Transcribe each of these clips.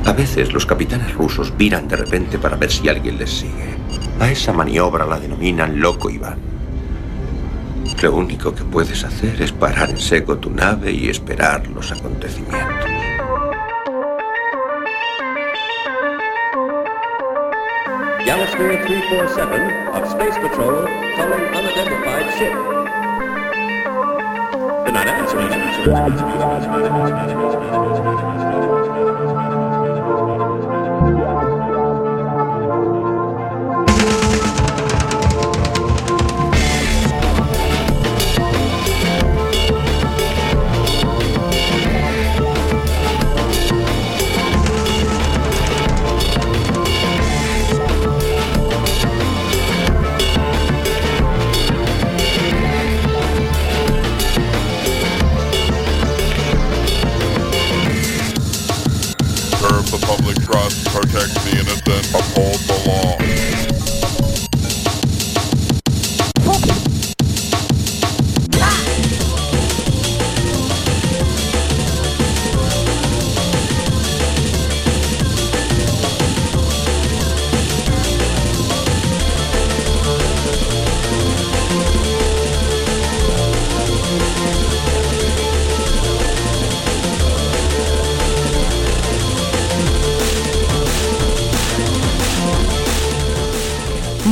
A veces los capitanes rusos viran de repente para ver si alguien les sigue. A esa maniobra la denominan loco Iván. Lo único que puedes hacer es parar en seco tu nave y esperar los acontecimientos. Galasphere 347 of Space Patrol calling unidentified ship. Good night, Public trust, protect the innocent, uphold the law.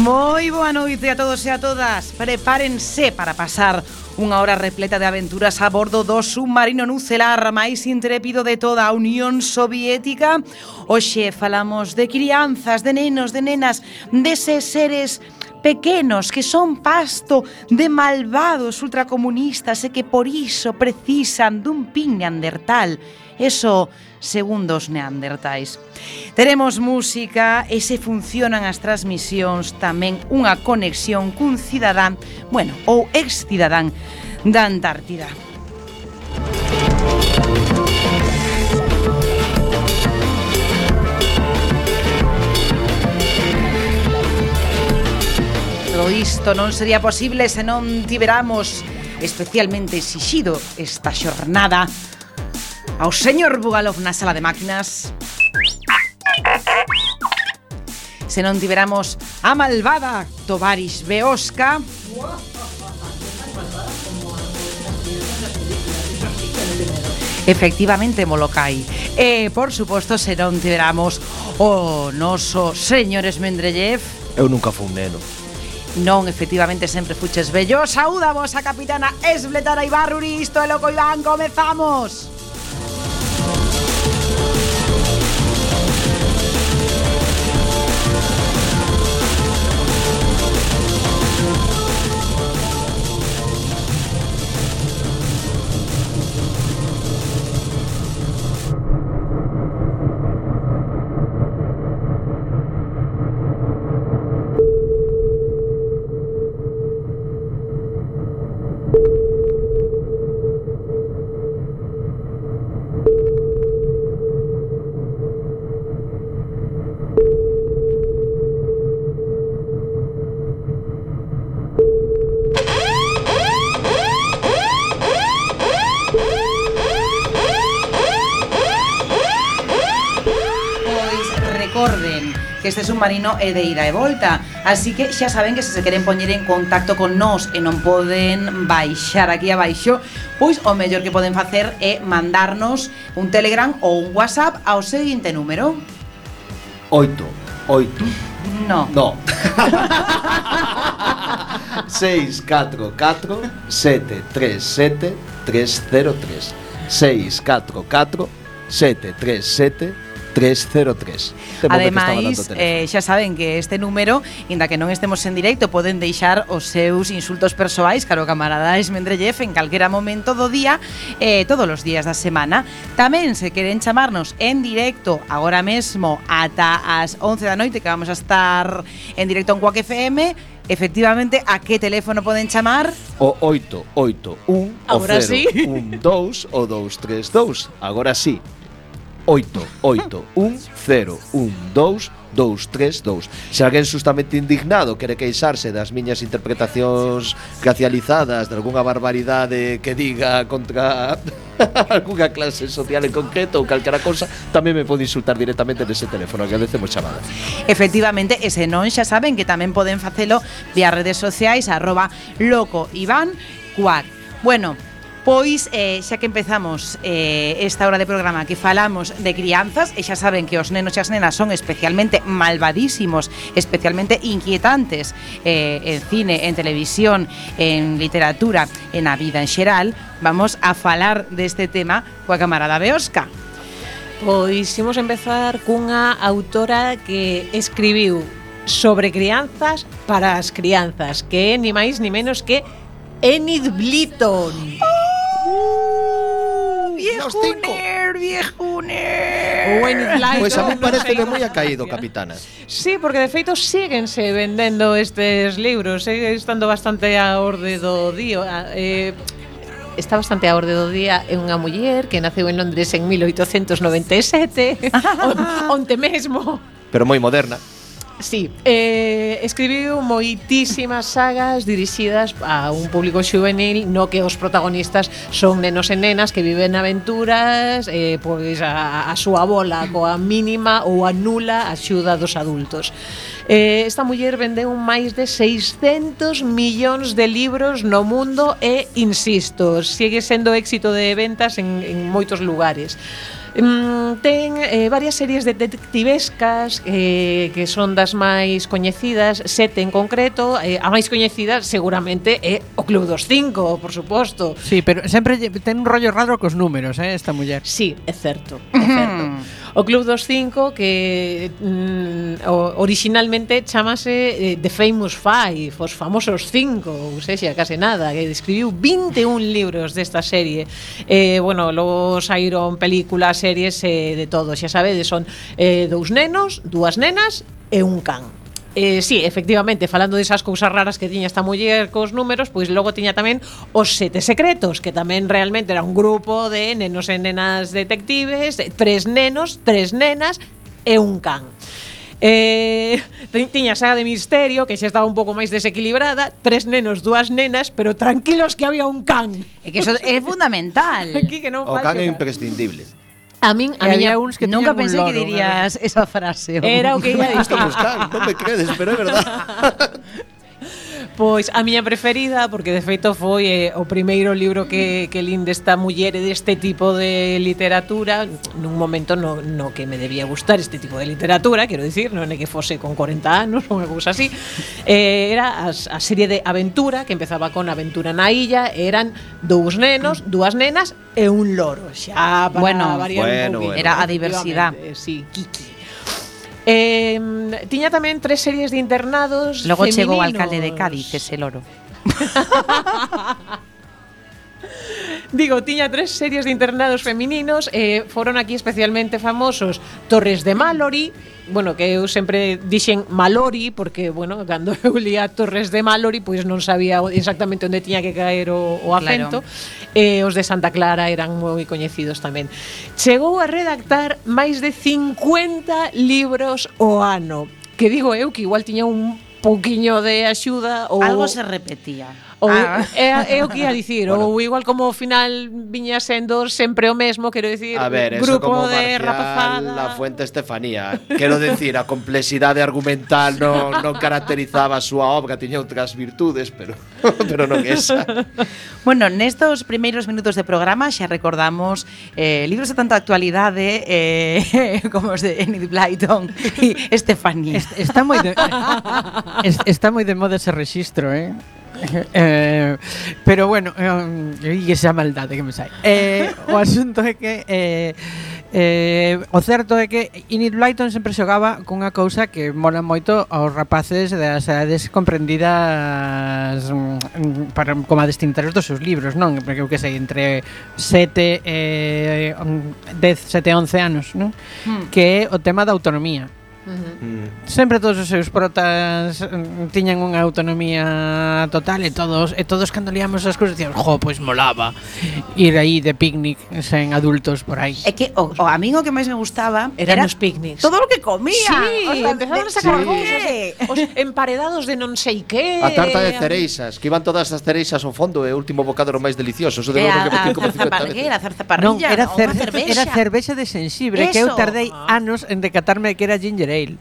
Moi boa noite a todos e a todas. Prepárense para pasar unha hora repleta de aventuras a bordo do submarino nucelar máis intrépido de toda a Unión Soviética. Hoxe falamos de crianzas, de nenos, de nenas, deses seres pequenos que son pasto de malvados ultracomunistas e que por iso precisan dun pin neandertal. Eso segundo os neandertais. Teremos música e se funcionan as transmisións tamén unha conexión cun cidadán, bueno, ou ex-cidadán da Antártida. Todo isto non sería posible se non tiveramos especialmente exixido esta xornada ao señor Bugalov na sala de máquinas. Se non tiveramos a malvada Tovaris Beoska. Efectivamente, Molokai. E, por suposto, se non tiveramos o noso señor Esmendrellev. Eu nunca fui un neno. Non, efectivamente, sempre fuches bello. Saúdamos a capitana Esbletara Ibarruri. Isto é Loco Iván, comezamos. Que este submarino é de ida e volta, así que xa saben que se queren poñer en contacto con nós e non poden baixar aquí abaixo, pois o mellor que poden facer é mandarnos un Telegram ou un WhatsApp ao seguinte número. 8. No. 644 737 303 644 737 303. Ademais, xa saben que este número, inda que non estemos en directo, poden deixar os seus insultos persoais caro camarada Esmendrellev en calquera momento do día, todos os días da semana. Tamén se queren chamarnos en directo agora mesmo ata as 11 da noite, que vamos a estar en directo en Quack FM. Efectivamente, a que teléfono poden chamar? O 881 Agora o 012 sí. o 232. Agora sí. 881012232. Se alguén justamente indignado quere queixarse das miñas interpretacións racializadas de algunha barbaridade que diga contra algunha clase social en concreto ou calquera cousa, tamén me pode insultar directamente nese teléfono, agradecemos chamada. Efectivamente, e se non xa saben que tamén poden facelo vía redes sociais @locoiván4. Bueno, pois xa que empezamos esta hora de programa que falamos de crianzas, e xa saben que os nenos e as nenas son especialmente malvadísimos, especialmente inquietantes en cine, en televisión, en literatura, en a vida en xeral, vamos a falar deste tema coa camarada Beosca. Pois imos empezar cunha autora que escribiu sobre crianzas para as crianzas, que é ni máis ni menos que Enid Blyton. Viejuner. O Enid Blyton. Pois a mí parece non sei moi como acaído, se pronuncia. capitana. Sí, porque de feito síguense vendendo estes libros, segue estando bastante a orde do día. Está bastante a orde do día. É unha muller que naceu en Londres en 1897, onte mesmo. Pero moi moderna. Sí, escribiu moitísimas sagas dirixidas a un público xuvenil no que os protagonistas son nenos e nenas que viven aventuras, pois a súa bola coa mínima ou a nula axuda dos adultos. Esta muller vendeu máis de 600 millóns de libros no mundo e, insisto, sigue sendo éxito de ventas en moitos lugares. Ten varias series detectivescas que son das máis coñecidas, 7 en concreto. A máis coñecida seguramente é O Club dos Cinco, por suposto. Sí, pero sempre ten un rollo raro cos números, esta muller. Sí, é certo, é certo. O Club dos Cinco, que originalmente chamase The Famous Five, os famosos cinco, ou sexa, case nada, que escribiu 21 libros desta serie. Bueno, logo saíron películas, series, de todo, xa sabedes, son 2 nenos, 2 nenas e un can. Sí, efectivamente, falando desas cousas raras que tiña esta muller cos números, pois logo tiña tamén Os Sete Secretos, que tamén realmente era un grupo de nenos e nenas detectives, 3 nenos, 3 nenas e un can. Tiña saga de misterio, que xa estaba un pouco máis desequilibrada, 3 nenos, 2 nenas, pero tranquilos que había un can. É que eso é fundamental. Aquí que non O can é falte imprescindible. A min Había uns que nunca tiñan un pensé loro, que dirías esa frase. era o que ia Isto dicir. buscar, non me credes, pero é verdad. Pois a miña preferida, porque de feito foi o primeiro libro que lin desta muller e deste tipo de literatura, nun momento no que me debía gustar este tipo de literatura, quero dicir, non é que fose con 40 anos ou unha cousa así. Era a serie de aventura, que empezaba con Aventura na Illa, eran 2 nenos, 2 nenas e un loro, xa para variar un pouquinho. Era a diversidade. Sí, Kiki. Tiña tamén 3 series de internados Logo femininos. chegou o alcalde de Cádiz, ese loro. Digo, tiña 3 series de internados femininos. Foron aquí especialmente famosos Torres de Mallory. Bueno, que eu sempre dixen Mallory, porque, bueno, cando eu lía Torres de Mallory, pois non sabía exactamente onde tiña que caer o acento. Claro. Os de Santa Clara eran moi coñecidos tamén. Chegou a redactar máis de 50 libros ao ano, que digo eu que igual tiña un pouquiño de axuda ou algo se repetía. Ou é o que ia dicir, bueno, ou igual como ao final viña sendo sempre o mesmo, quero dicir, a ver, grupo eso como de rapazada. La Fuente Estefanía. Quero decir, a complexidade argumental non caracterizaba a súa obra, tiña outras virtudes, pero non esa. Bueno, nestos primeiros minutos de programa xa recordamos libros de tanta actualidade como os de Enid Blyton e Estefanía. Está moi de moda ese rexistro, pero bueno, e esa maldade que me sai. O asunto é que o certo é que Enid Blyton sempre xogaba cunha cousa que mola moito aos rapaces das edades comprendidas para como a destinatarios dos seus libros, non? Porque eu que sei, entre 7 e 11 anos, non? Que é o tema da autonomía. Sempre todos os seus protas tiñan unha autonomía total e todos cando liamos as cousas dicíamos, pois molaba ir aí de picnic sen adultos por aí. É que o a min o que máis me gustaba eran os picnics. todo o que comía. Sí, empezaban a sacar sí. cousas, os emparedados de non sei que. A tarta de cereixas, que iban todas as cereixas ao fondo e o último bocado era o máis delicioso. Eso de verdade que metí como 50 veces. A zarzaparrilla, Non, era cervexa. cervexa de xenxibre, que eu Eso. tardei anos en decatarme que era ginger ale.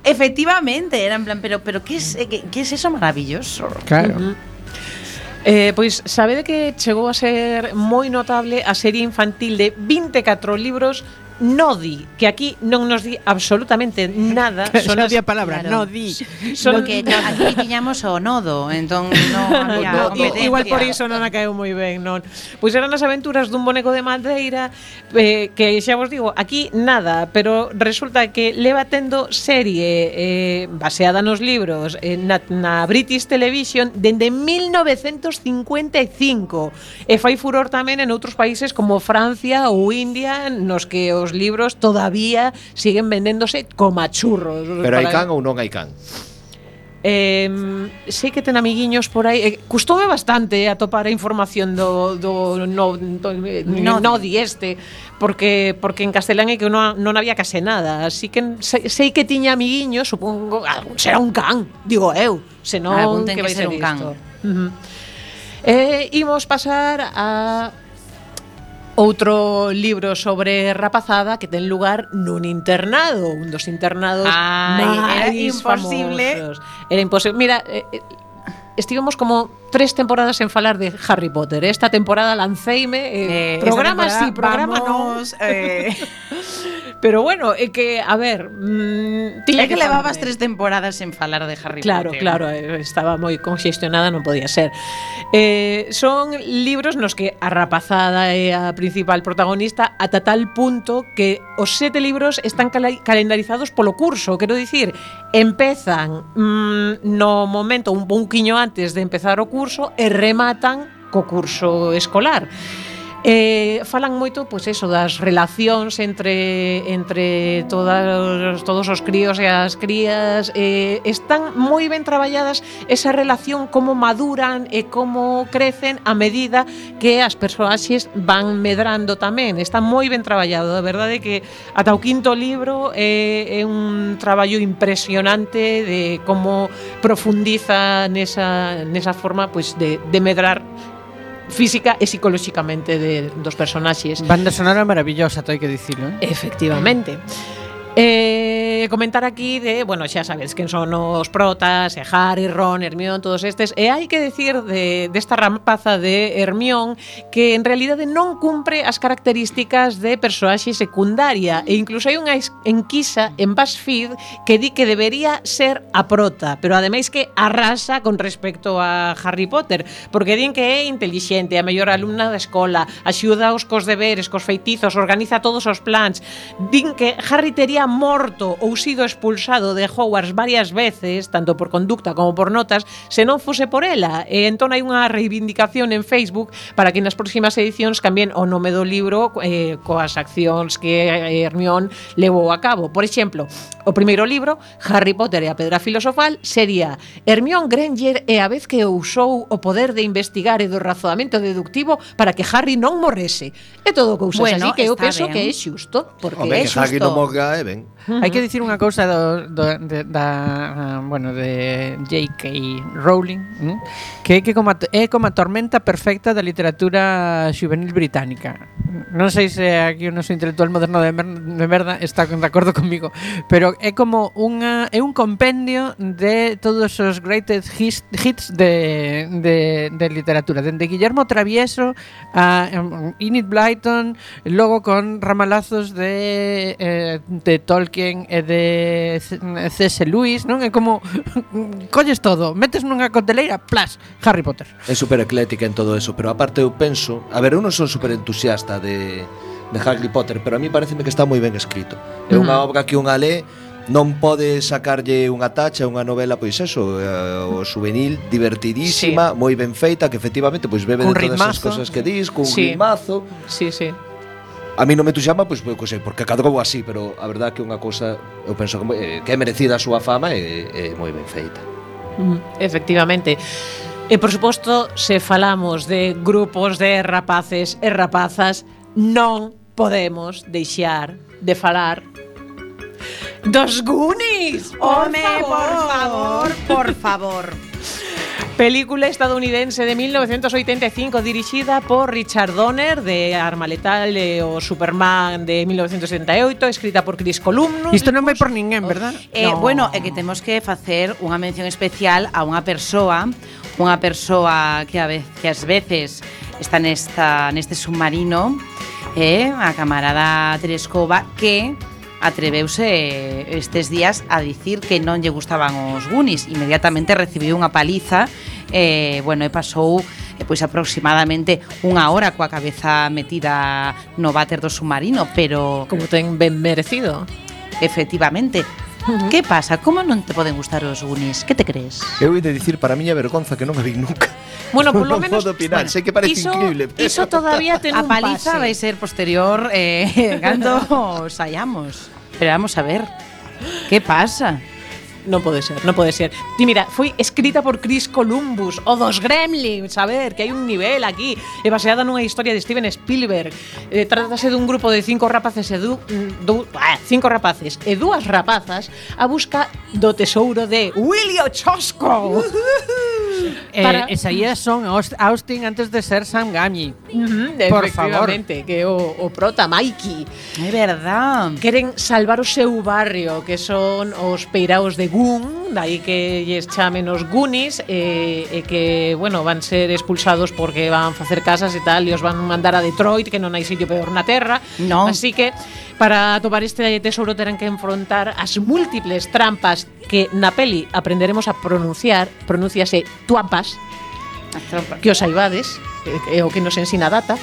Efectivamente, era en plan, pero ¿qué es eso maravilloso? Claro. Pois sabede que chegou a ser moi notable a serie infantil de 24 libros Nodi, que aquí non nos di absolutamente nada. Son a palabra, claro. no di. Son Porque aquí tiñamos o nodo, entón non había competencia. Igual por iso non a caeu moi ben, non. Pois eran as aventuras dun boneco de madeira que xa vos digo, aquí nada, pero resulta que leva tendo serie baseada nos libros na British Television dende 1955 e fai furor tamén en outros países como Francia ou India, nos que os libros todavía siguen vendéndose como a churros. Pero hai can ou non hai can? Sei que ten amiguiños por aí. Custoume bastante atopar a información do Nodi este, porque en castelán é que non había case nada. Así que sei que tiña amiguiños, supongo, será un can, digo eu, senón Ten que vai que ser ser un can. Imos pasar a outro libro sobre rapazada que ten lugar nun internado, un dos internados era máis imposible. famosos. Era imposible. Mira, estivemos como 3 temporadas en falar de Harry Potter. Esta temporada lanceime programa sí, programa non. Pero bueno, é que, a ver, É que levabas 3 temporadas en falar de Harry Potter. Claro, estaba moi conxestionada, non podía ser. Son libros nos que a rapazada é a principal protagonista ata tal punto que os 7 libros están calendarizados polo curso. Quero dicir, empezan no momento un pouquiño antes de empezar o curso e rematan co curso escolar. Falan moito, pois eso, das relacións entre todos os críos e as crías. Están moi ben traballadas esa relación, como maduran e como crecen a medida que as persoaxes van medrando tamén. Está moi ben traballado, a verdade que ata o 5º libro é un traballo impresionante de como profundiza nesa forma, pois, de medrar física e psicolóxicamente dos personaxes. Banda sonora maravillosa, hai que dicilo, Efectivamente. Comentar aquí de, bueno, xa sabes quen son os protas, Harry, Ron, Hermione, todos estes, e hai que decir desta rapaza de Hermione que en realidade non cumpre as características de persoaxe secundaria, e incluso hai unha enquisa en BuzzFeed que di que debería ser a prota, pero ademais que arrasa con respecto a Harry Potter, porque din que é intelixente, a mellor alumna da escola, axuda os cos deberes, cos feitizos, organiza todos os plans. Din que Harry tería morto ou sido expulsado de Hogwarts varias veces, tanto por conducta como por notas, se non fose por ela. E entón hai unha reivindicación en Facebook para que nas próximas edicións cambien o nome do libro coas accións que Hermione levou a cabo. Por exemplo, o primeiro libro, Harry Potter e a Pedra Filosofal, sería Hermione Granger e a vez que usou o poder de investigar e do razoamento deductivo para que Harry non morrese. É todo cousas así que eu penso que é xusto, porque Home, é que Harry xusto. non morga, ben. Hai que dicir unha cousa de J.K. Rowling, que é como a tormenta perfecta da literatura xuvenil británica. Non sei se aquí o noso intelectual moderno de merda está de acordo comigo, pero é como un compendio de todos os greatest hits de literatura, dende Guillermo Travieso a Enid Blyton, logo con ramalazos de Tolkien e de C.S. Lewis, non? É como colles todo, metes nunha coteleira, plas, Harry Potter. É super eclética en todo eso, pero aparte eu penso, a ver, eu non son super entusiasta de Harry Potter, pero a mí pareceme que está moi ben escrito. É unha obra que unha lé non pode sacarlle unha tacha, unha novela, pois eso, o juvenil, divertidísima, moi ben feita, que efectivamente pois bebe de todas as cosas que dis, cun ritmazo. Sí. A mí non me tuxama, pois, porque cadrou así, pero a verdade que é unha cousa, eu penso que é merecida a súa fama e moi ben feita. Efectivamente. E, por suposto, se falamos de grupos de rapaces e rapazas, non podemos deixar de falar dos Goonies. Home, por favor. Película estadounidense de 1985 dirixida por Richard Donner de Arma Letal e o Superman de 1978, escrita por Chris Columbus. Isto non vai por ninguén, verdad? No. Bueno, é que temos que facer unha mención especial a unha persoa que ás veces está neste submarino, a camarada Tereskova, que atreveuse estes días a dicir que non lle gustaban os Goonies. Inmediatamente recibiu unha paliza e pasou pois aproximadamente unha hora coa cabeza metida no váter do submarino, pero Como ten ben merecido. efectivamente. Que pasa? Como non te poden gustar os Goonies? Que te crees? Eu he de dicir para a miña vergonza que non a vi nunca. Bueno, por lo Non menos podo opinar, sei que parece increíble, pero- Iso todavía ten A un paliza pase. vai ser posterior cando saiamos. Pero vamos a ver. Que pasa? Non pode ser, non pode ser. Ti mira, foi escrita por Chris Columbus, o dos Gremlins, a ver, que hai un nivel aquí. É baseada nunha historia de Steven Spielberg. Trátase dun grupo de 5 rapaces e 5 rapaces e 2 rapazas a busca do tesouro de Willie Ochosco. Para- E saías son Austin antes de ser Sam Gamgee. Por Efectivamente, que o prota Mikey É verdad. queren salvar o seu barrio, que son os peiraos de Goon, dai que lles chamen os Goonies, e que, bueno, van ser expulsados porque van facer casas e tal, e os van mandar a Detroit, que non hai sitio peor na terra. Non. Así que, para atopar este tesouro terán que enfrontar as múltiples trampas que na peli aprenderemos a pronunciase tuampas, que os saibades, é o que nos ensina a Data.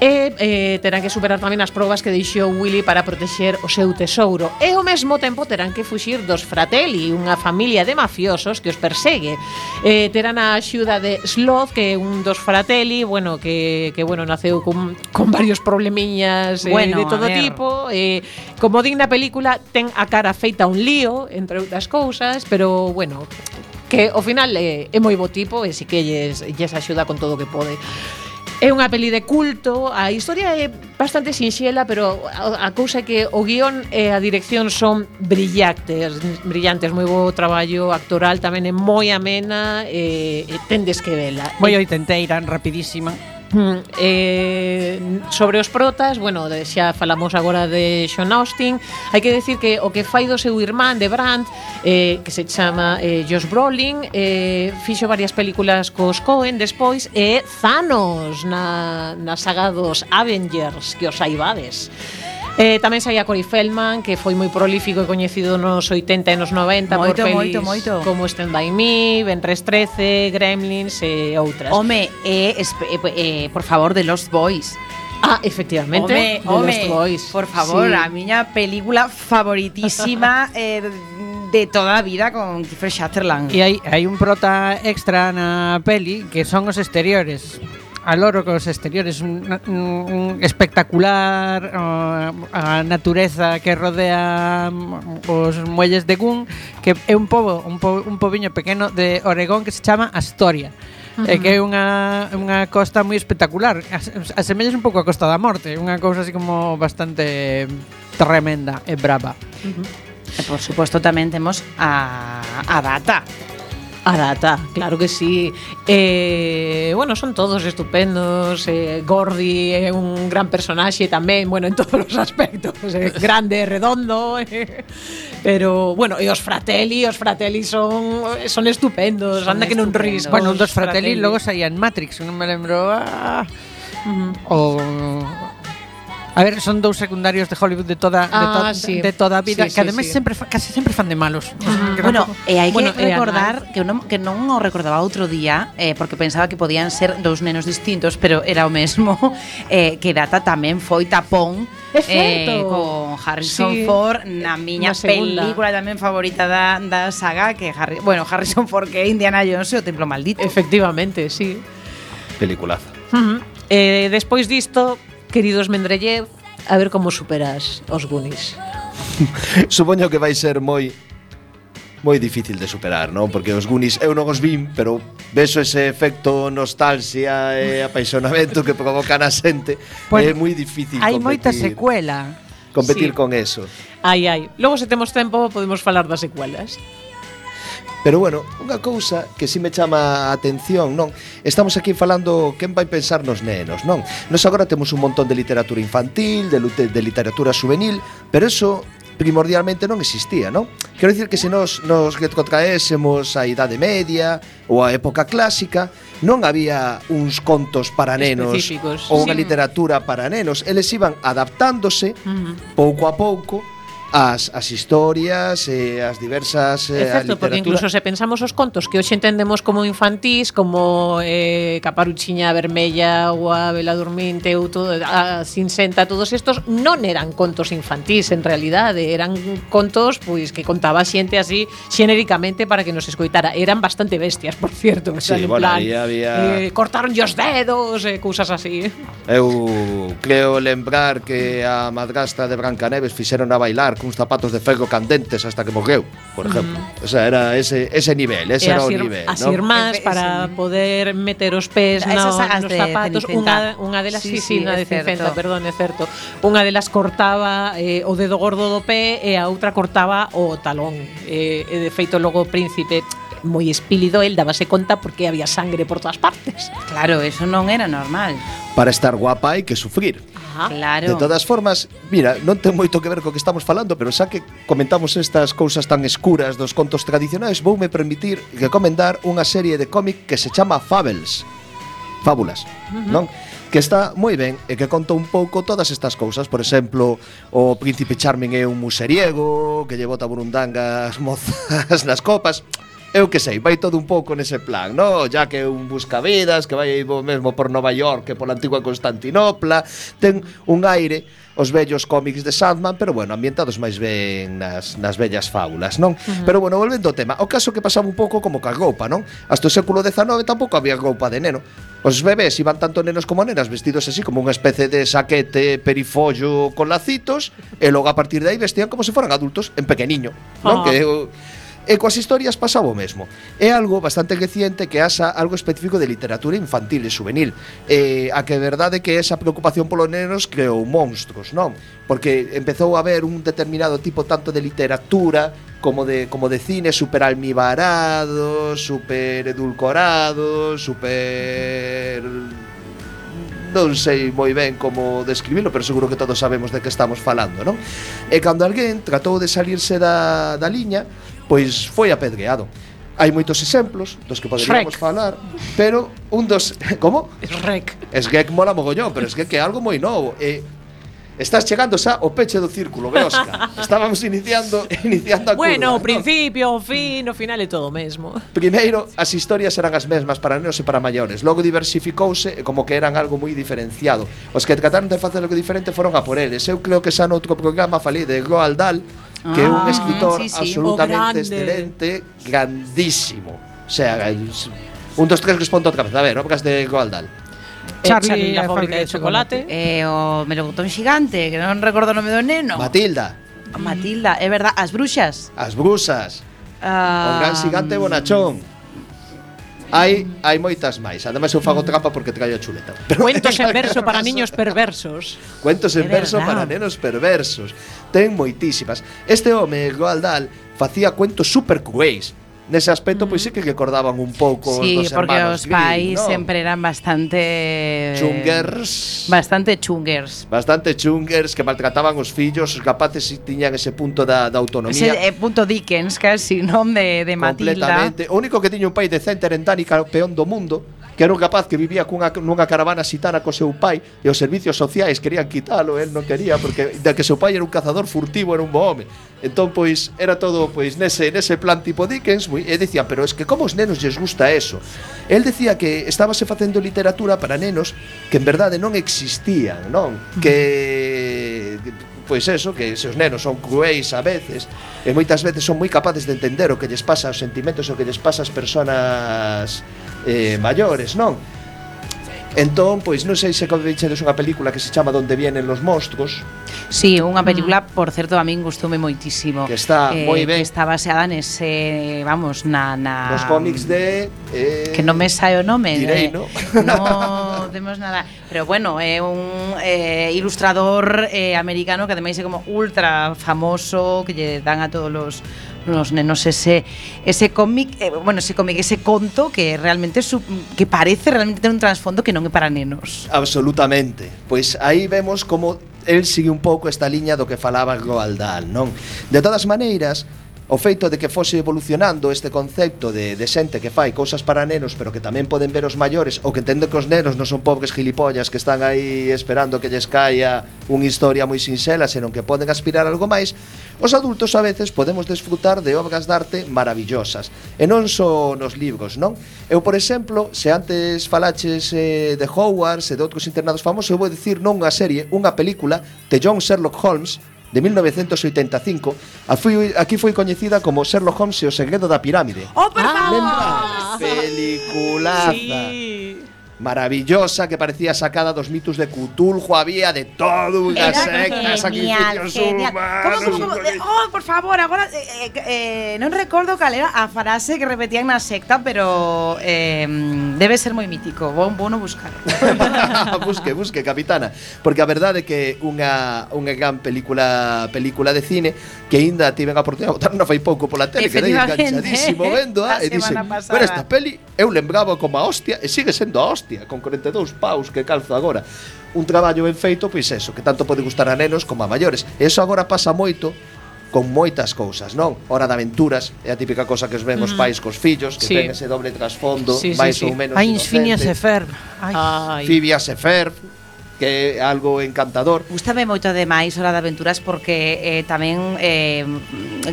E terán que superar tamén as probas que deixou Willy para protexer o seu tesouro. E ao mesmo tempo terán que fuxir dos Fratelli, unha familia de mafiosos que os persegue. Terán a axuda de Sloth, que é un dos Fratelli, bueno, que naceu con varios problemiñas de todo a ver. tipo. Como digna película, ten a cara feita un lío, entre outras cousas, pero bueno, que ao final é moi bo tipo e si que lles axuda con todo o que pode. É unha peli de culto, a historia é bastante sinxela, pero a cousa é que o guión e a dirección son brillantes, moi bo traballo actoral, tamén é moi amena e tendes que vela. Moi oitenteira, rapidísima. Sobre os protas, bueno, xa falamos agora de Sean Austin. Hai que decir que o que fai do seu irmán de Brandt, que se chama Josh Brolin, fixo varias películas cos Coen despois, e Thanos na saga dos Avengers, que os saibades. Tamén saía Corey Feldman, que foi moi prolífico e coñecido nos 80 e nos 90 por pelis moito. como Stand By Me, Benres 13, Gremlins e outras. Home, por favor, de Lost Boys. Efectivamente, de Home, Lost Boys. por favor, Sí. a miña película favoritísima de toda a vida con Kiefer Sutherland. E hai un prota extra na peli que son os exteriores. A loro cos exteriores, un espectacular a natureza que rodea os muelles de Goon, que é un pobiño pequeno de Oregón que se chama Astoria. Que é unha costa moi espectacular. Asemellas un pouco a Costa da Morte, unha cousa así como bastante tremenda e brava. E por suposto tamén temos a Data. A Data, claro que sí. Bueno, son todos estupendos. Gordy é un gran personaxe tamén, bueno, en todos os aspectos. Grande, redondo. Pero, bueno, e os Fratelli son estupendos. Anda que non ris. Bueno, un dos Fratelli logo saía en Matrix, non me lembro. A ver, son dous secundarios de Hollywood de toda a vida, Sí, que ademais casi sempre fan de malos. Bueno, hai Bueno, que recordar que non o recordaba outro día, porque pensaba que podían ser dous nenos distintos, pero era o mesmo, que Data tamén foi tapón con Harrison Ford na miña película tamén favorita da saga, que Harrison Ford, que é Indiana Jones e o Templo Maldito. Efectivamente, sí. Peliculaza. Despois disto, queridos Mendeleev, A ver como superas os Goonies. Supoño que vai ser moi difícil de superar, non? Porque os Goonies eu non os vin, pero vexo ese efecto nostalgia e apaixonamento que provoca na xente. Pues, É moi difícil hai moita secuela. competir Sí. con eso. Ai. Logo, se temos tempo, podemos falar das secuelas. Pero bueno, unha cousa que si me chama a atención, non? Estamos aquí falando quen vai pensar nos nenos, non? Nos agora temos un montón de literatura infantil, de literatura juvenil, pero eso primordialmente non existía, non? Quero dicir que se nos retrotraésemos a Idade Media ou a época clásica, non había uns contos para nenos Específicos. ou unha Sí. literatura para nenos, eles iban adaptándose pouco a pouco as historias e as diversas É certo, porque incluso se pensamos os contos que hoxe entendemos como infantís, como Caparuchiña Vermella ou a Bela Durminte ou todo, a Cinsenta, todos estos non eran contos infantís en realidade, eran contos pois que contaba xente así xenéricamente para que nos escoitara. Eran bastante bestias, por cierto, Sí, en bueno, plan, aí había- cortaron os dedos, cousas así. Eu creo lembrar que a madrastra de Brancaneves fixeron a bailar cuns zapatos de ferro candentes hasta que morreu, por exemplo. O sea, era ese nivel, ese era o nivel, as ¿no? irmás Ese- para poder meter os pés Esas sagas nos de zapatos. Cenicienta. Unha delas, Sí, sí, unha é de Cincenta, certo. perdón, é certo. Unha delas cortaba o dedo gordo do pé e a outra cortaba o talón. E de feito logo o príncipe moi espílido, el dábase conta porque había sangre por todas partes. Claro, eso non era normal. Para estar guapa hai que sufrir. Claro. De todas formas, mira, non ten moito que ver co que estamos falando, pero xa que comentamos estas cousas tan escuras dos contos tradicionais, voume permitir recomendar unha serie de cómic que se chama Fábulas, non? Que está moi ben e que conta un pouco todas estas cousas. Por exemplo, o príncipe Charming é un museriego que lle bota burundangas mozas nas copas. Eu que sei, vai todo un pouco nese plan, no? Ya que é un buscavidas que vai mesmo por Nova York que pola antigua Constantinopla. Ten un aire os vellos cómics de Sandman, pero bueno, ambientados máis ben nas vellas fábulas, non? Pero bueno, volvendo ao tema, o caso que pasaba un pouco como ca roupa, non? Hasta o século XIX tampouco había roupa de neno. Os bebés iban tanto nenos como nenas vestidos así como unha especie de saquete perifollo con lacitos e logo a partir de aí vestían como se foran adultos en pequeniño, non? Que E coas historias pasaba o mesmo. É algo bastante reciente que asa algo específico de literatura infantil e juvenil. A que é verdade que esa preocupación polos nenos creou monstruos, non? Porque empezou a haber un determinado tipo tanto de literatura como de cine super almibarado, super edulcorado, super... non sei moi ben como describilo, pero seguro que todos sabemos de que estamos falando, non? E cando alguén tratou de salirse da liña, pois foi apedreado. Hai moitos exemplos dos que poderíamos falar, pero un dos... Como? Shrek. Shrek mola mogollón, pero Shrek é algo moi novo. Estás chegando xa ao peche do círculo, Beosca. Estábamos iniciando a Bueno, curva, o principio, o fin, o final é todo o mesmo. Primeiro, as historias eran as mesmas para nenos e para maiores. Logo diversificouse e como que eran algo moi diferenciado. Os que trataron de facer algo diferente foron a por eles. Eu creo que xa noutro programa falei de Roald Dahl, que é un escritor sí, sí. absolutamente O grande. excelente, grandísimo. O sea, un dos tres respondo outra vez. A ver, obras de Roald Dahl. Charlie la fábrica de chocolate. O melocotón xigante, que non recordo o nome do neno. Matilda, Matilda, é verdad, as bruxas. as brusas, o Ah, gran xigante bonachón. Hai moitas máis. Ademais eu fago trampa porque traio a chuleta. Pero Cuentos en verso para niños perversos. Cuentos en É verso verdad. para nenos perversos. Ten moitísimas. Este home, Roald Dahl, facía cuentos super cruéis. Nese aspecto, pois sí que recordaban un pouco sí, os dos porque hermanos os Grimm, pais ¿no? sempre eran bastante... Chungers. Bastante chungers. Bastante chungers que maltrataban os fillos, os capaces tiñan ese punto da autonomía. Ese punto Dickens, casi, non? De Matilda. Completamente. O único que tiña un pai decente era en Dani, campeón do mundo, que era un rapaz que vivía nunha caravana xitana co seu pai e os servicios sociais querían quitalo, el non quería porque de que seu pai era un cazador furtivo, era un bo home. Entón, pois, era todo pois nese plan tipo Dickens, e dicía, pero es que como os nenos lles gusta eso? El decía que estábase facendo literatura para nenos que en verdade non existían, non? Que pois eso, que se os nenos son cruéis a veces e moitas veces son moi capaces de entender o que lles pasa aos sentimentos, o que lles pasa ás persoas maiores, non? Entón, pois non sei se vechedes unha película que se chama Donde vienen los monstruos. Sí, unha película, por certo, a min gustoume moitísimo. Que está moi ben. Que está baseada nese, vamos, Nos cómics de... que non me sae o nome. Direi, no? Non temos nada. Pero bueno, é un ilustrador americano que ademais é como ultra famoso, que lle dan a todos los nenos ese cómic, ese conto que realmente que parece realmente ter un trasfondo que non é para nenos. Absolutamente. Pois aí vemos como el sigue un pouco esta liña do que falaba Roald Dahl, non? De todas maneiras, o feito de que fose evolucionando este concepto de xente que fai cousas para nenos, pero que tamén poden ver os maiores, ou que entende que os nenos non son pobres gilipollas que están aí esperando que lles caia unha historia moi sinxela, senón que poden aspirar a algo máis, os adultos a veces podemos desfrutar de obras de arte maravillosas, e non só nos libros, non? Eu, por exemplo, se antes falaches de Hogwarts e de outros internados famosos, eu vou dicir non unha serie, unha película de John Sherlock Holmes, de 1985, aquí foi coñecida como Sherlock Holmes e o segredo da pirámide. ¡Oh, por favor! Lembra? Peliculaza. Sí. Maravillosa, que parecía sacada dos mitos de Cthulhu, había de todo, unha secta, sacrificios humanos. ¿Cómo? Oh, por favor, agora non recordo cal era a frase que repetían na secta, pero debe ser moi mítico. Vou no buscar. busque, capitana, porque a verdade é que unha gran película de cine que aínda tiven a oportunidade de botar non fai pouco pola tele, quedei enganchadísimo vendo e dixen, pero esta peli eu lembraba como a hostia e sigue sendo a hostia, con 42 paus que calzo agora. Un traballo ben feito, pois eso, que tanto pode gustar a nenos como a maiores. E iso agora pasa moito con moitas cousas, non? Hora de Aventuras é a típica cosa que os ven os pais cos fillos, que ten ese doble trasfondo, máis ou menos inocente. Phineas e Ferb. Phineas e Ferb, que é algo encantador. Gústame moito ademais Hora de Aventuras porque tamén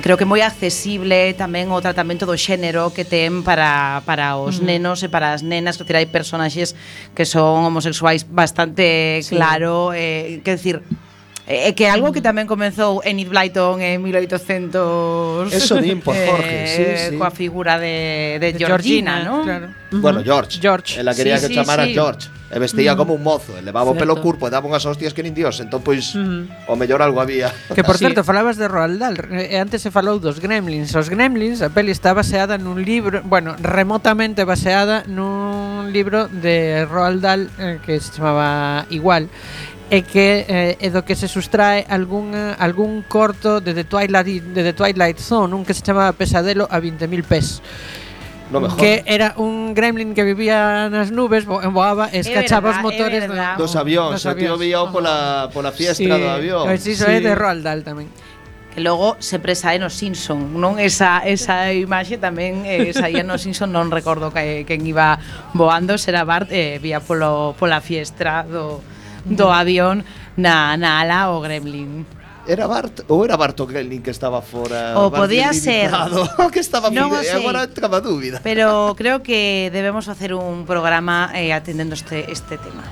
creo que moi accesible tamén o tratamento do xénero que ten para os nenos e para as nenas, que hai personaxes que son homosexuais bastante claro, quer decir, que algo que tamén comezou Enid Blyton en 1800. Eso din por Jorge, sí. Coa figura de Georgina, ¿no? Claro. Bueno, George. Ela quería que chamara George. E vestía como un mozo, e levaba o pelo curpo e daba unhas hostias que nin Dios. Entón, pois, o mellor algo había. Que, por certo, falabas de Roald Dahl. Antes se falou dos Gremlins. Os Gremlins, a peli está baseada nun libro, bueno, remotamente baseada nun libro de Roald Dahl que se chamaba igual. E que é do que se sustrae algún corto de The Twilight Zone, un que se chamaba Pesadelo a 20.000 pés. No mejor. Que era un gremlin que vivía nas nubes, voaba e escachaba os motores dos avións. O tío vía pola fiestra do avión. Pois iso é de Roald Dahl tamén. Que logo sempre sae no Simpson, non? Esa imaxe tamén saía no Simpson, non recordo quen iba voando, será Bart, vía pola fiestra do avión na ala o gremlin. Era Bart ou era Bart o gremlin que estaba fora? O podía ser. Que estaba non e agora entraba dúbida. Pero creo que debemos facer un programa atendendo este tema.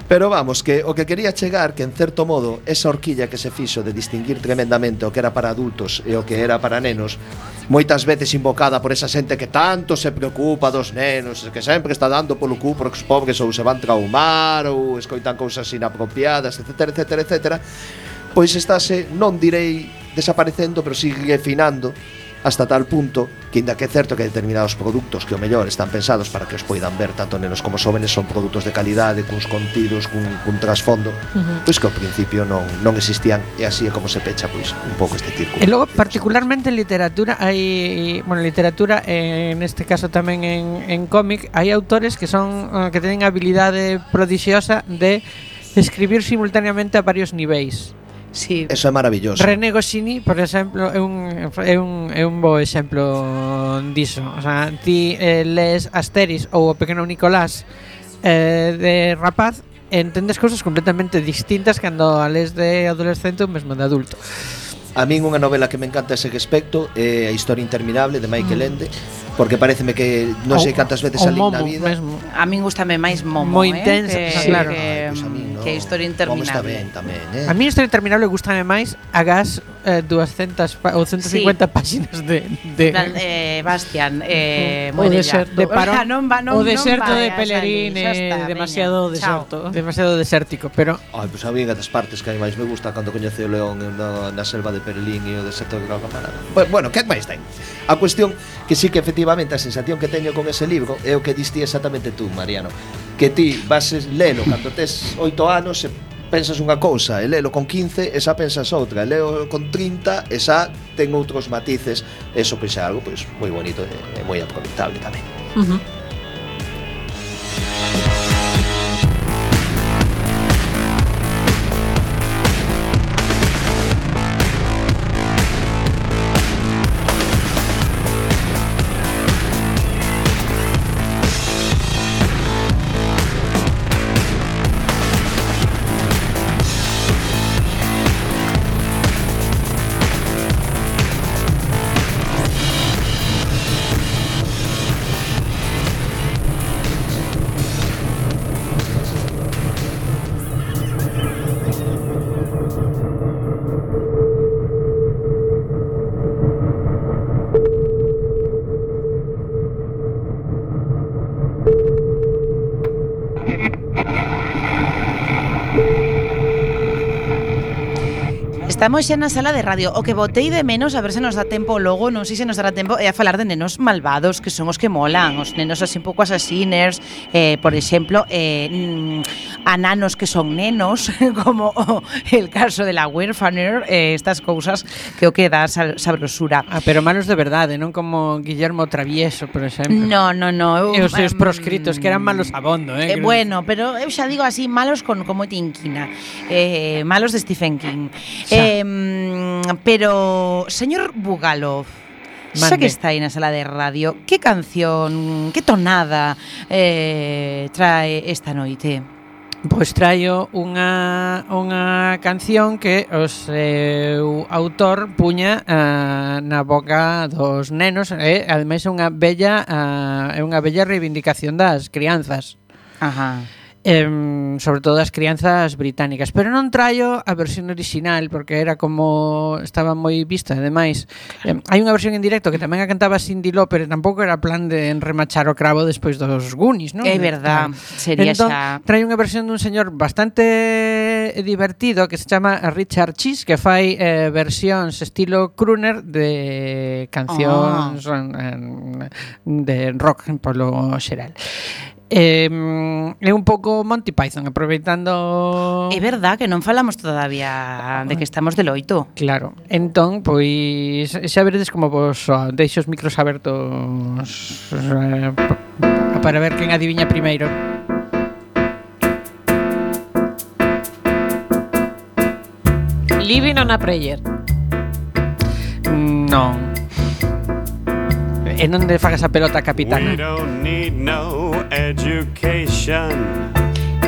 Pero vamos, que o que quería chegar, que en certo modo esa horquilla que se fixo de distinguir tremendamente o que era para adultos e o que era para nenos, moitas veces invocada por esa xente que tanto se preocupa dos nenos, que sempre está dando polo cu porque os pobres ou se van traumar ou escoitan cousas inapropiadas, etcétera, pois estáse, non direi desaparecendo, pero sigue finando hasta tal punto que, ainda que é certo que determinados produtos que o mellor están pensados para que os poidan ver tanto nenos como xóvenes, son produtos de calidade, cuns contidos, cun trasfondo, pois que ao principio non existían, e así é como se pecha pois un pouco este círculo. E logo, particularmente en literatura, hai, literatura, neste caso tamén en cómic, hai autores que son que teñen habilidade prodixiosa de escribir simultaneamente a varios niveis. Sí. Eso é maravilloso. René Goscinny, por exemplo, é un bo exemplo diso. O sea, ti lees Asterix ou o Pequeno Nicolás de rapaz e entendes cousas completamente distintas cando a lees de adolescente ou mesmo de adulto. A min unha novela que me encanta ese respecto é A Historia Interminable de Michael Ende, porque pareceme que non sei cantas veces alí na vida. Mesmo. A min gustame máis Momo, moi intensa, sí, claro. Pues a min, no. que a historia Como está interminable. ben tamén, A mí a historia interminable gustame máis agás 200 ou 150 páxinas de Plan, Bastian, O Moirella. deserto. de parón. O deserto de vayas Pellerín ali, xa está, demasiado veña, chao. deserto. demasiado desértico, pero Ai, pois a mí das partes que máis me gusta cando coñece o león na selva de Perelín e o deserto de Calcamarada. Bueno, que máis ten? A cuestión que sí que efectivamente a sensación que teño con ese libro é o que diste exactamente tú, Mariano, que ti vas lelo cando tes 8 anos e pensas unha cousa, e lelo con 15 e xa pensas outra, e lelo con 30 e xa ten outros matices, eso pois é algo pois moi bonito e moi aproveitable tamén. Estamos xa na sala de radio. O que botei de menos, a ver se nos dá tempo logo, non sei se nos dará tempo, é a falar de nenos malvados, que son os que molan, os nenos así un pouco asasiners, por exemplo, a nanos que son nenos, como el caso de la huérfaner, estas cousas que o que dá sabrosura. pero malos de verdade, non como Guillermo Travieso, por exemplo. No. E os seus proscritos que eran malos abondo, Bueno, pero eu xa digo así, malos con moita inquina, malos de Stephen King. Pero, señor Bugalov, xa Mande. que está aí na sala de radio, que canción, que tonada trae esta noite? Pois traio unha canción que o seu autor puña na boca dos nenos e ademais é unha bella reivindicación das crianzas. Ajá. Sobre todo as crianzas británicas, pero non traio a versión original porque era como estaba moi vista. Ademais, hai unha versión en directo que tamén a cantaba Cyndi Lauper e tampouco era plan de enremachar o cravo despois dos Goonies, non? É verdad, sería entón, xa. traio unha versión dun señor bastante divertido que se chama Richard Cheese, que fai versións estilo crooner de cancións de rock polo xeral. É un pouco Monty Python, aproveitando. É verdad que non falamos todavía de que estamos de loito. Claro, entón, pois xa veredes como vos deixo os micros abertos para ver quen adiviña primeiro. Living on a Prayer. Non. E non de fagas a pelota, capitana. We don't need no education.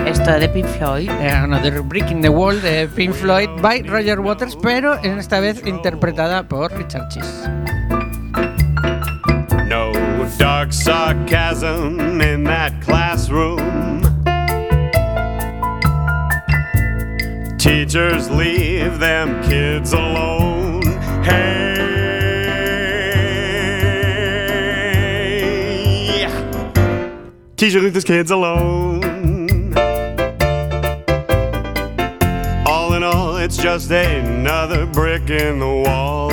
Esto é de Pink Floyd. Another Brick in the Wall de Pink Floyd by Roger Waters, pero en esta vez interpretada por Richard Cheese. No dark sarcasm in that classroom. Teachers leave them kids alone. Hey, teacher leave these kids alone. All in all, it's just another brick in the wall.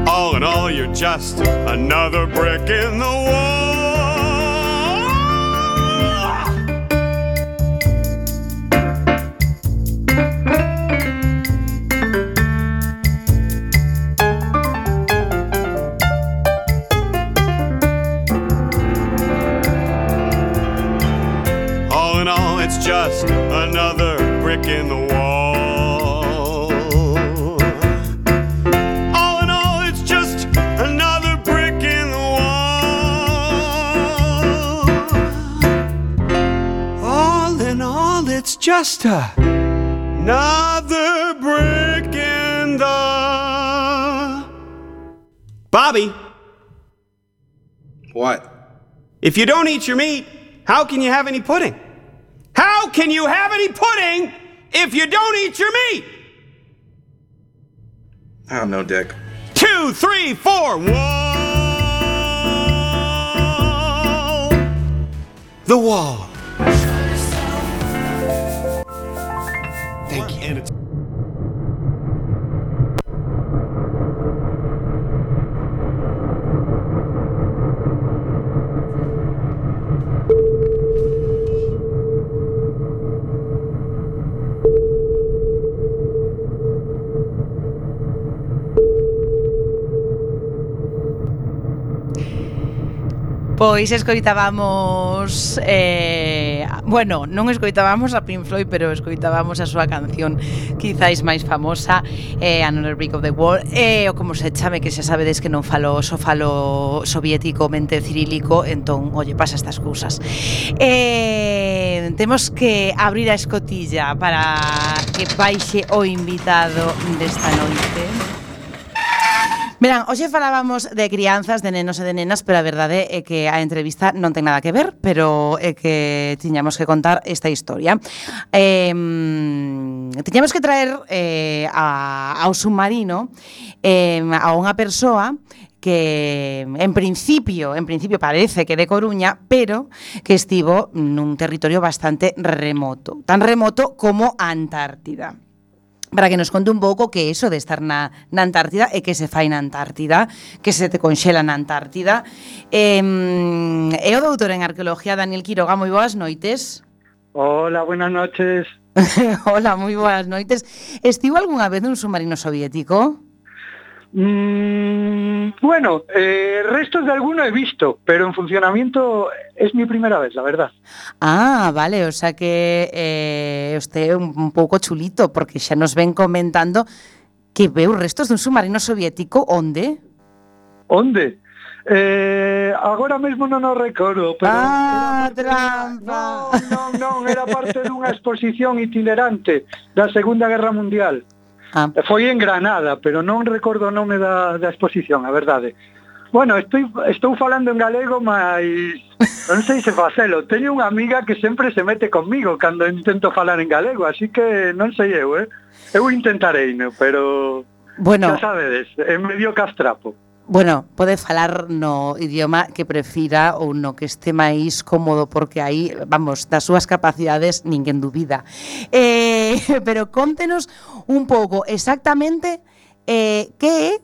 All in all, you're just another brick in the wall. All in all, it's just another brick in the wall. All in all, it's just another brick in the wall. All in all, it's just another brick in the... Bobby, What? if you don't eat your meat, how can you have any pudding? How can you have any pudding if you don't eat your meat? I don't know, Dick. 2, 3, 4. Wall. The wall. Thank you. And it's Pois escoitábamos bueno, non escoitábamos a Pink Floyd, pero escoitábamos a súa canción quizáis máis famosa, Another Brick of the Wall, ou como se chame, que xa sabedes que non falo soviético mente cirílico, entón, oye, pasa estas cousas. Temos que abrir a escotilla para que baixe o invitado desta noite. Verán, hoxe falábamos de crianzas, de nenos e de nenas, pero a verdade é que a entrevista non ten nada que ver, pero é que tiñamos que contar esta historia. Tiñamos que traer ao submarino a unha persoa que en principio parece que de Coruña, pero que estivo nun territorio bastante remoto, tan remoto como a Antártida. Para que nos conte un pouco que eso de estar na Antártida e que se fai na Antártida, que se te conxela na Antártida. É o doutor en Arqueoloxía Daniel Quiroga, moi boas noites. Hola, buenas noches. Hola, moi boas noites. Estivo algunha vez nun submarino soviético? Bueno, restos de alguno he visto, pero en funcionamiento es mi primera vez, la verdad. Ah, vale, o sea que usted é un pouco chulito, porque xa nos ven comentando que veu restos dun submarino soviético. Onde? Onde? Agora mesmo non o recordo, pero... Trampa! Non, era parte dunha exposición itinerante da Segunda Guerra Mundial. Foi en Granada, pero non recordo o nome da exposición, a verdade. Bueno, estou falando en galego, mas non sei se facelo. Teño unha amiga que sempre se mete conmigo cando intento falar en galego, así que non sei eu, Eu intentarei, pero bueno, xa sabedes, é medio castrapo. Bueno, pode falar no idioma que prefira ou no que este máis cómodo, porque aí, vamos, das súas capacidades ninguén dubida. Pero contenos un pouco exactamente que é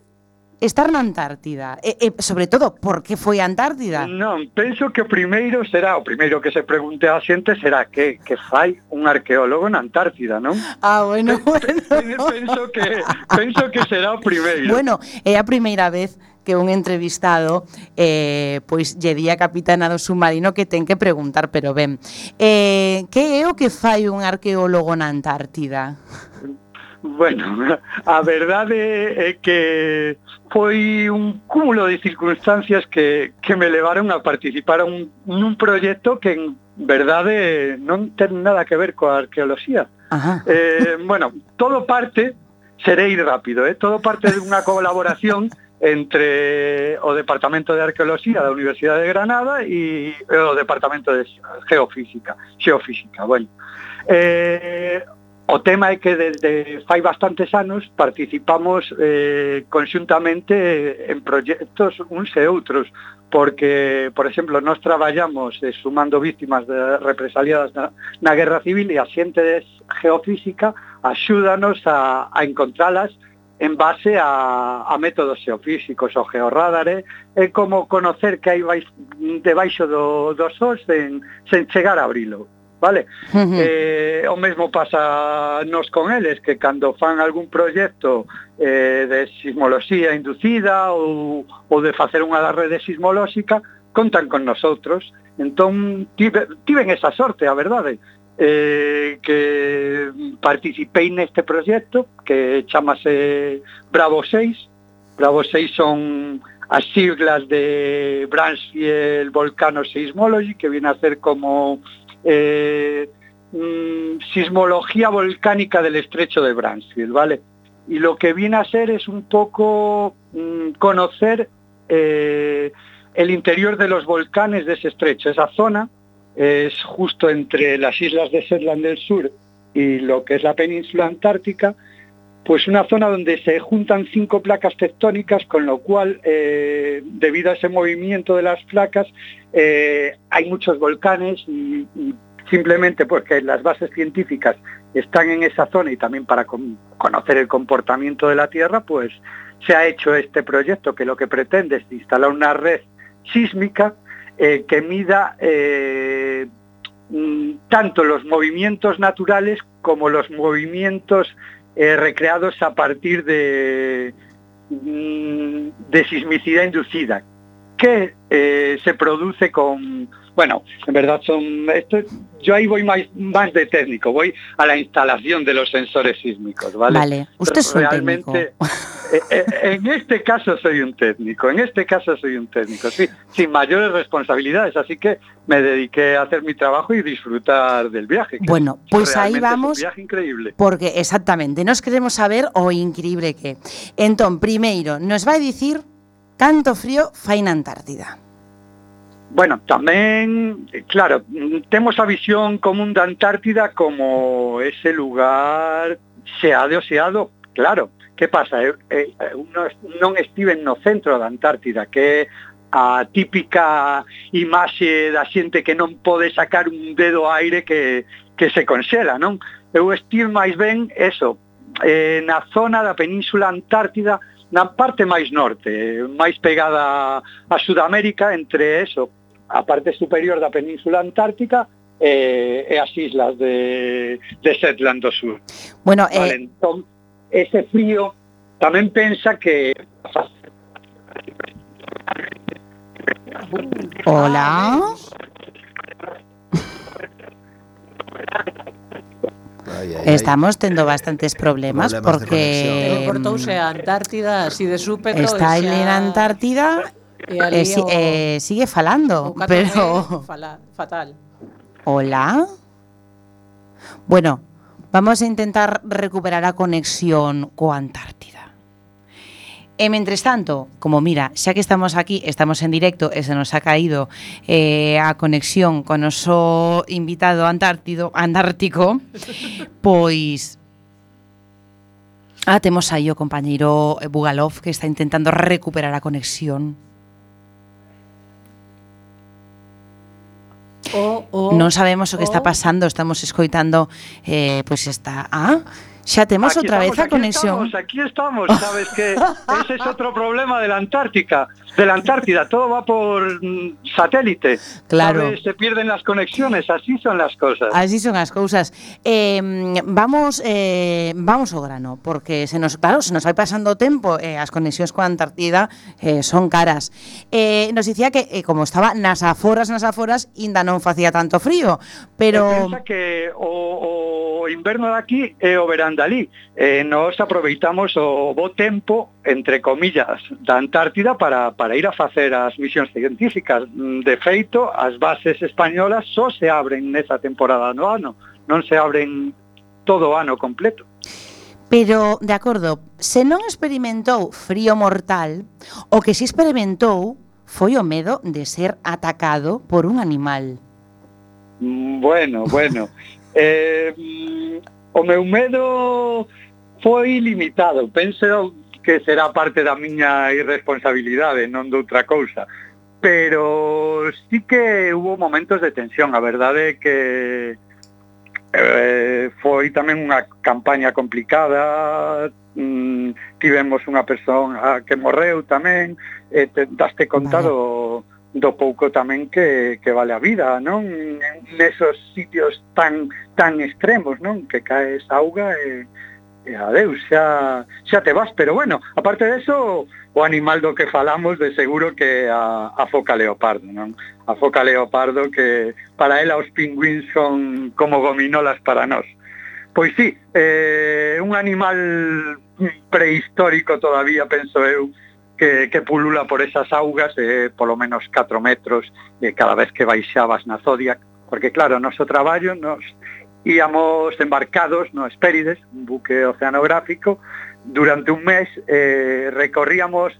estar na Antártida, sobre todo, por que foi a Antártida? Non, penso que o primeiro que se pregunte a xente será que fai un arqueólogo na Antártida, non? Bueno. Penso que será o primeiro. Bueno, é a primeira vez que un entrevistado pois lle di a capitana do submarino que ten que preguntar, pero ben, que é o que fai un arqueólogo na Antártida? Bueno, a verdade é que foi un cúmulo de circunstancias que me levaron a participar nun proxecto que en verdade non ten nada que ver coa arqueoloxía. Bueno, todo parte, serei rápido, todo parte dunha colaboración entre o Departamento de Arqueoloxía da Universidade de Granada e o Departamento de Xeofísica. Bueno, o tema é que desde fai bastantes anos participamos conxuntamente en proxectos uns e outros, porque, por exemplo, nós traballamos sumando víctimas represaliadas na Guerra Civil e a xente de Geofísica axúdanos a encontralas en base a métodos xeofísicos. O georradar é como conocer que hai debaixo do sos sen chegar a abrilo. Vale? O mesmo pasa nos con eles, que cando fan algún proxecto de sismoloxía inducida ou de facer unha rede sismolóxica, contan con nosotros. Entón, tiven esa sorte, a verdade, que participei neste proxecto que chamase Bravo 6. Bravo 6 son as siglas de Bransfield Volcano Seismology, que viene a ser como sismología volcánica del estrecho de Bransfield, ¿vale? Y lo que viene a ser es un poco conocer el interior de los volcanes de ese estrecho, esa zona es justo entre las islas de Shetland del Sur y lo que es la península antártica, pues una zona donde se juntan 5 placas tectónicas, con lo cual, debido a ese movimiento de las placas, hay muchos volcanes y simplemente porque las bases científicas están en esa zona y también para conocer el comportamiento de la Tierra, pues se ha hecho este proyecto que lo que pretende es instalar una red sísmica que mida tanto los movimientos naturales como los movimientos recreados a partir de sismicidad inducida, que se produce con... Bueno, en verdad yo ahí voy más de técnico, voy a la instalación de los sensores sísmicos, ¿vale? Vale, usted es un técnico. En este caso soy un técnico, sí, sin mayores responsabilidades, así que me dediqué a hacer mi trabajo y disfrutar del viaje. Bueno, pues ahí vamos, es un viaje increíble. Porque exactamente, nos queremos saber o increíble que. Entón, primeiro, nos vai dicir canto frío fai na Antártida. Bueno, tamén, claro, temos a visión común da Antártida como ese lugar xeado, claro. Que pasa? Non estiven no centro da Antártida, que é a típica imaxe da xente que non pode sacar un dedo ao aire que se conxela, non? Eu estive máis ben eso, na zona da Península Antártida, na parte máis norte, máis pegada a Sudamérica, entre eso, a parte superior da Península Antártica e as islas de Shetland do Sur. Bueno, vale, entón, ese frío tamén pensa que... Hola. Estamos tendo bastantes problemas porque cortouse a Antártida así de súpeto. Está en la Antártida sigue falando, pero fatal. Hola. Bueno, vamos a intentar recuperar a conexión coa Antártida. E mentres tanto, como mira, xa que estamos aquí, estamos en directo e se nos ha caído a conexión con o noso invitado antártico, pois temos aí o compañeiro Bugalov que está intentando recuperar a conexión. Non sabemos o que está pasando, estamos escoitando pois está... xa temos outra vez a conexión. Aquí estamos, sabes que ese es otro problema de la Antártida, todo va por satélite. Claro. ¿Sabes? Se pierden las conexiones, así son las cosas. Así son as cousas. Vamos ao grano, porque se nos vai pasando o tempo, as conexións coa Antártida son caras. Nos dicía que como estaba nas aforas, ainda non facía tanto frío, pero... Pensa que o inverno daqui é o verán dali. Nos aproveitamos o bo tempo, entre comillas, da Antártida para ir a facer as misións científicas. De feito, as bases españolas só se abren nesa temporada no ano, non se abren todo o ano completo. Pero, de acordo, se non experimentou frío mortal, o que si experimentou foi o medo de ser atacado por un animal. Bueno. O meu medo foi limitado. Penso que será parte da miña irresponsabilidade, non de outra cousa. Pero sí que hubo momentos de tensión. A verdade é que foi tamén unha campaña complicada. Tivemos unha persoa que morreu tamén. Daste conta do pouco tamén que vale a vida, non? Nesos sitios tan extremos, non? Que caes auga e adeus, xa te vas. Pero bueno, aparte de eso, o animal do que falamos de seguro que a foca leopardo, non? A foca leopardo que para ela os pingüíns son como gominolas para nós. Pois sí, un animal prehistórico todavía, penso eu, que pulula por esas augas, polo menos 4 metros, cada vez que baixabas na Zodiac, porque claro, noso traballo, nos íamos embarcados no Hespérides, un buque oceanográfico, durante un mes recorríamos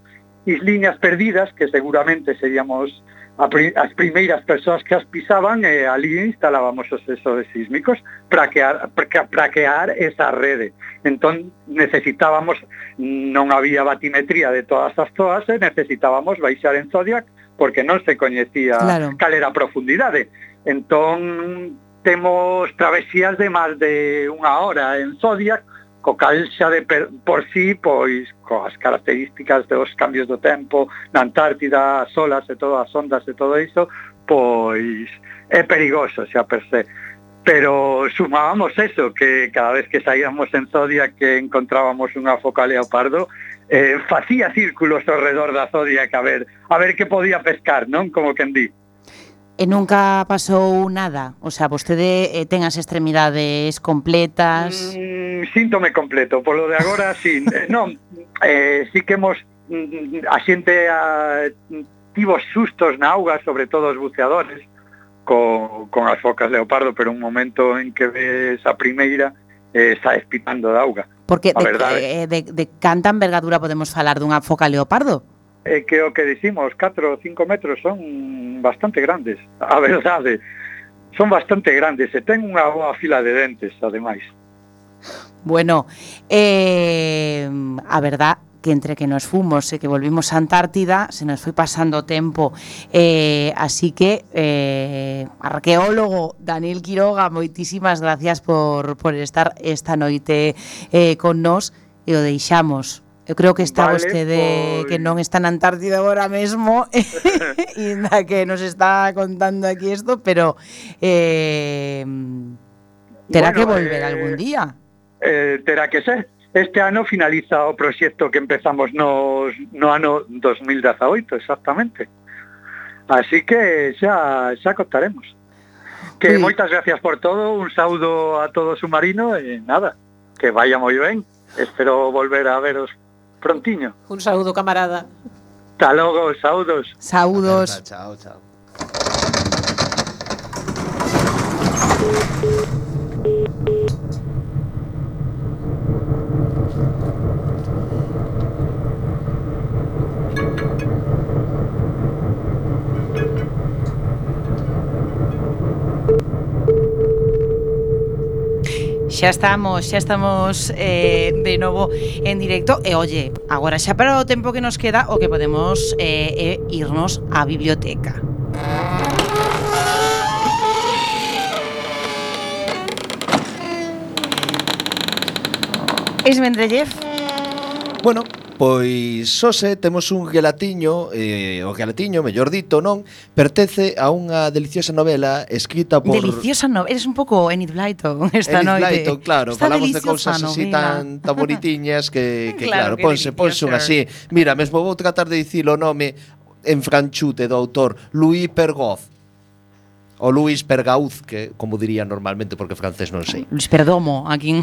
isliñas perdidas, que seguramente seríamos as primeiras persoas que as pisaban e ali instalábamos os sensores sísmicos para crear esa rede. Entón necesitábamos, non había batimetría de todas as zoas e necesitábamos baixar en Zodiac porque non se coñecía cal era a profundidade. Entón temos travesías de máis de unha hora en Zodiac, co cal xa por sí, pois, coas características dos cambios do tempo na Antártida, as olas e todas as ondas e todo iso, pois é perigoso xa per se. Pero sumábamos eso, que cada vez que saíamos en Zodiac que encontrábamos unha foca leopardo, facía círculos ao redor da Zodiac a ver que podía pescar, non? Como quen di. E nunca pasou nada? O sea, vostede ten as extremidades completas? Síntome completo, polo de agora, sí. Non, sí que hemos... A xente tivo sustos na auga, sobre todo os buceadores, con as focas leopardo, pero un momento en que ves a primeira, saes pitando da auga. Porque de canta envergadura podemos falar dunha foca leopardo? Que o que dicimos, 4 ou 5 metros son bastante grandes, a verdade, son bastante grandes e ten unha boa fila de dentes, ademais. Bueno, a verdad que entre que nos fomos e que volvimos a Antártida se nos foi pasando o tempo, así que arqueólogo Daniel Quiroga, moitísimas gracias por estar esta noite con nós e o deixamos. Eu creo que está vostede que non está na Antártida agora mesmo e que nos está contando aquí isto, pero terá que volver algún día. Terá que ser. Este ano finaliza o proxecto que empezamos no ano 2018, exactamente. Así que xa contaremos. Que moitas gracias por todo, un saúdo a todo o submarino e nada, que vaya moi ben. Espero volver a veros prontiño. Un saúdo, camarada. Hasta logo, saúdos. Saúdos. Chao, chao. Xa estamos de novo en directo e oye, agora xa para o tempo que nos queda o que podemos irnos á biblioteca. Ismendrellev. Bueno, pois xose temos un gelatiño, o gelatiño, mellor dito, non, pertence a unha deliciosa novela escrita por... Deliciosa novela, eres un pouco Enid Blyton esta Enid noite. Blyton, claro, Está falamos de cousas así tan bonitiñas que claro, ponse un así. Mira, mesmo vou tratar de dicir o nome en franchute do autor, Louis Pergaud. O Luis Pergaud, que como diría normalmente porque francés non sei. Luis Perdomo, aquí.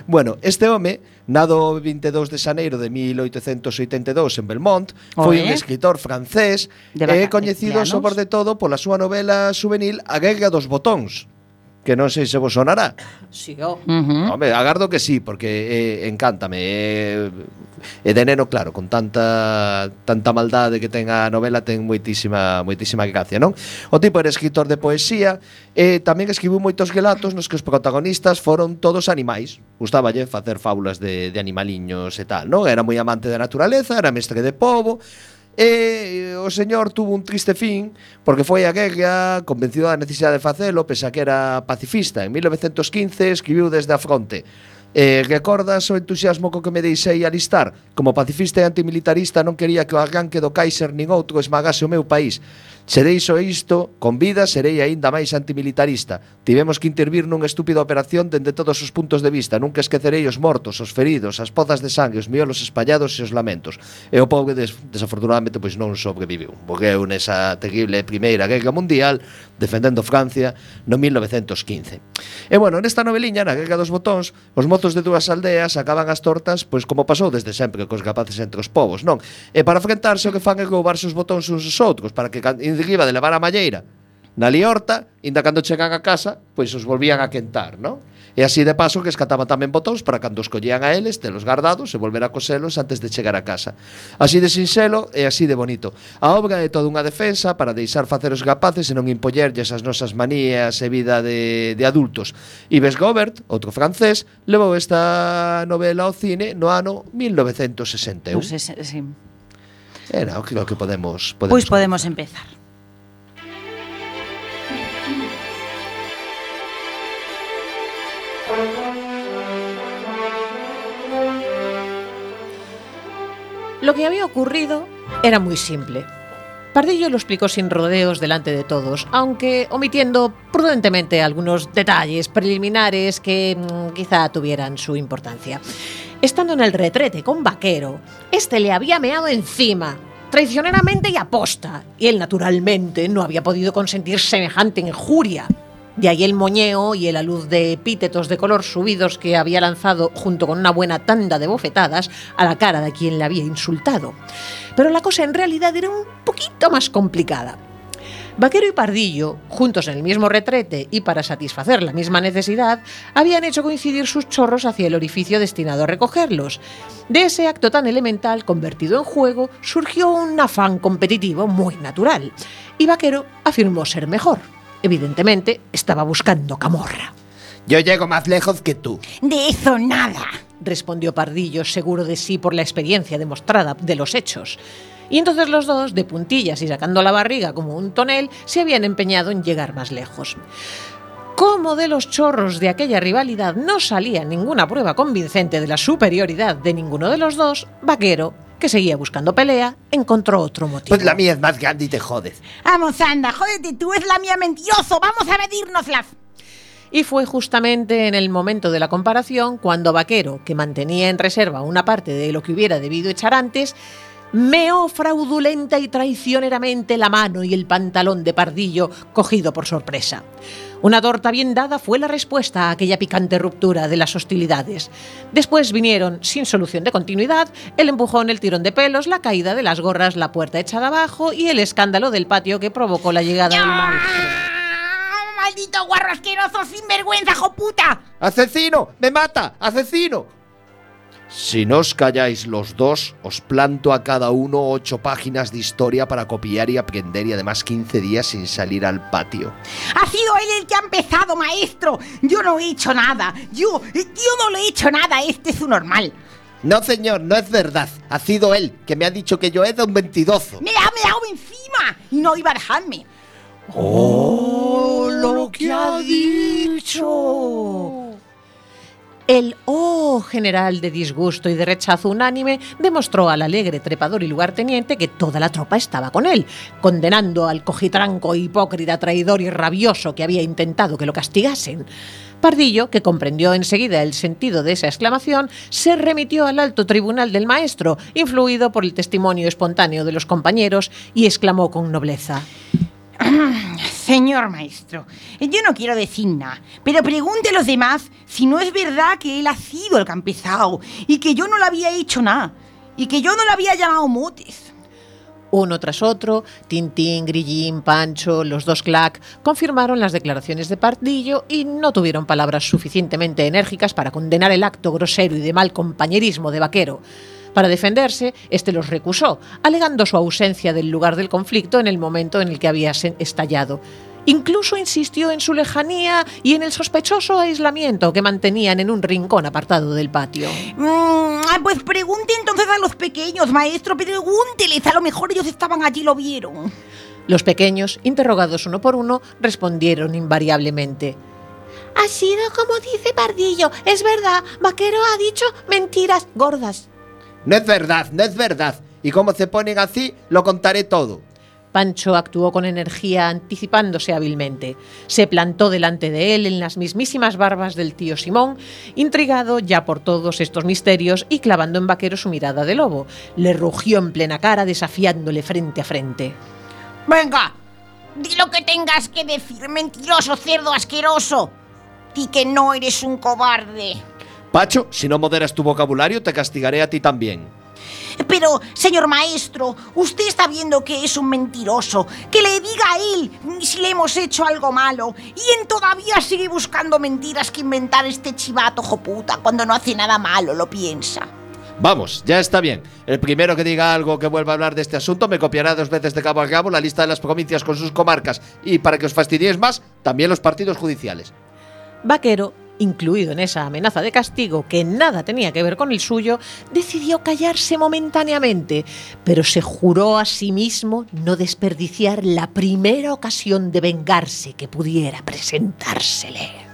Bueno, este home, nado 22 de xaneiro de 1882 en Belmont, foi un escritor francés e coñecido sobre de todo pola súa novela juvenil A Guerra dos Botóns, que non sei se vos sonará. Sí, Home, agardo que sí, porque encántame. E de neno, claro, con tanta maldade que ten a novela, ten moitísima gracia, non? O tipo era escritor de poesía e tamén escribiu moitos relatos nos que os protagonistas foron todos animais. Gustáballe facer fábulas de animaliños e tal, non? Era moi amante da naturaleza, era mestre de pobo. E o señor tuvo un triste fin porque foi a guerra, convencido da necesidade de facelo, pese a que era pacifista. En 1915 escribiu desde a fronte: recordas o entusiasmo co que me deixei alistar? Como pacifista e antimilitarista non quería que o arranque do Kaiser nin outro esmagase o meu país. Se deixo isto, con vida serei aínda máis antimilitarista. Tivemos que intervir nunha estúpida operación dende todos os puntos de vista. Nunca esquecerei os mortos, os feridos, as pozas de sangue, os miolos espallados e os lamentos. E o pobre, desafortunadamente, pois non sobreviviu. Morreu nesa terrible Primeira Guerra Mundial defendendo Francia no 1915. E bueno, nesta noveliña, na Guerra dos Botóns, os mozos de dúas aldeas acaban as tortas, pois como pasou desde sempre cos rapaces entre os povos, non? E para enfrentarse o que fan é roubarse os botóns uns aos outros, para que riba de levar a malleira na liorta, inda cando chegan a casa, pois os volvían a quentar, non? E así de paso que escataban tamén botóns para cando os collían a eles, telos gardados e volver a coselos antes de chegar a casa. Así de sinxelo e así de bonito. A obra é toda unha defensa para deixar facer os capaces e non impollerlles as nosas manías e vida de adultos. Yves Gobert, outro francés, levou esta novela ao cine no ano 1961. Pues sí. Era o que podemos Pois podemos empezar. Lo que había ocurrido era muy simple. Pardillo lo explicó sin rodeos delante de todos, aunque omitiendo prudentemente algunos detalles preliminares que quizá tuvieran su importancia. Estando en el retrete con Vaquero, este le había meado encima, traicioneramente y aposta, y él naturalmente no había podido consentir semejante injuria. De ahí el moñeo y el alud de epítetos de color subidos que había lanzado junto con una buena tanda de bofetadas a la cara de quien le había insultado. Pero la cosa en realidad era un poquito más complicada. Vaquero y Pardillo, juntos en el mismo retrete y para satisfacer la misma necesidad, habían hecho coincidir sus chorros hacia el orificio destinado a recogerlos. De ese acto tan elemental convertido en juego surgió un afán competitivo muy natural, y Vaquero afirmó ser mejor. Evidentemente, estaba buscando camorra. Yo llego más lejos que tú. De eso nada, respondió Pardillo, seguro de sí por la experiencia demostrada de los hechos. Y entonces los dos, de puntillas y sacando la barriga como un tonel, se habían empeñado en llegar más lejos. Como de los chorros de aquella rivalidad no salía ninguna prueba convincente de la superioridad de ninguno de los dos, Vaquero, que seguía buscando pelea, encontró otro motivo. Pues la mía es más grande y te jodes. Vamos, anda, jódete tú, es la mía, mentiroso, vamos a medírnoslas. Y fue justamente en el momento de la comparación cuando Vaquero, que mantenía en reserva una parte de lo que hubiera debido echar antes, meó fraudulenta y traicioneramente la mano y el pantalón de Pardillo, cogido por sorpresa. Una torta bien dada fue la respuesta a aquella picante ruptura de las hostilidades. Después vinieron, sin solución de continuidad, el empujón, el tirón de pelos, la caída de las gorras, la puerta echada abajo y el escándalo del patio que provocó la llegada del maestro. ¡Maldito guarro asqueroso, sinvergüenza, joputa! ¡Asesino! ¡Me mata! ¡Asesino! Si no os calláis los dos, os planto a cada uno 8 páginas de historia para copiar y aprender, y además 15 días sin salir al patio. Ha sido él el que ha empezado, maestro. Yo no he hecho nada. Yo no le he hecho nada. Este es su normal. No, señor, no es verdad. Ha sido él, que me ha dicho que yo era un mentiroso. Me ha meado encima y no iba a dejarme. ¡Oh, lo que ha dicho! El general de disgusto y de rechazo unánime demostró al alegre trepador y lugarteniente que toda la tropa estaba con él, condenando al cojitranco, hipócrita, traidor y rabioso que había intentado que lo castigasen. Pardillo, que comprendió enseguida el sentido de esa exclamación, se remitió al alto tribunal del maestro, influido por el testimonio espontáneo de los compañeros, y exclamó con nobleza: Señor maestro, yo no quiero decir nada, pero pregunte a los demás si no es verdad que él ha sido el que ha empezado y que yo no le había hecho nada y que yo no le había llamado motes. Uno tras otro, Tintín, Grillín, Pancho, los dos Clack, confirmaron las declaraciones de Pardillo y no tuvieron palabras suficientemente enérgicas para condenar el acto grosero y de mal compañerismo de Vaquero. Para defenderse, este los recusó, alegando su ausencia del lugar del conflicto en el momento en el que había estallado. Incluso insistió en su lejanía y en el sospechoso aislamiento que mantenían en un rincón apartado del patio. Pues pregunte entonces a los pequeños, maestro, pregúnteles, a lo mejor ellos estaban allí y lo vieron. Los pequeños, interrogados uno por uno, respondieron invariablemente: ha sido como dice Pardillo, es verdad, Vaquero ha dicho mentiras gordas. No es verdad, no es verdad. Y como se ponen así, lo contaré todo. Pancho actuó con energía, anticipándose hábilmente. Se plantó delante de él en las mismísimas barbas del tío Simón, intrigado ya por todos estos misterios y clavando en Vaquero su mirada de lobo. Le rugió en plena cara, desafiándole frente a frente. Venga, di lo que tengas que decir, mentiroso, cerdo asqueroso. Di que no eres un cobarde. Pacho, si no moderas tu vocabulario, te castigaré a ti también. Pero, señor maestro, usted está viendo que es un mentiroso. Que le diga a él si le hemos hecho algo malo. Y él todavía sigue buscando mentiras que inventar este chivato joputa cuando no hace nada malo, lo piensa. Vamos, ya está bien. El primero que diga algo que vuelva a hablar de este asunto me copiará 2 veces de cabo a cabo la lista de las provincias con sus comarcas y, para que os fastidiéis más, también los partidos judiciales. Vaquero, incluido en esa amenaza de castigo que nada tenía que ver con el suyo, decidió callarse momentáneamente, pero se juró a sí mismo no desperdiciar la primera ocasión de vengarse que pudiera presentársele.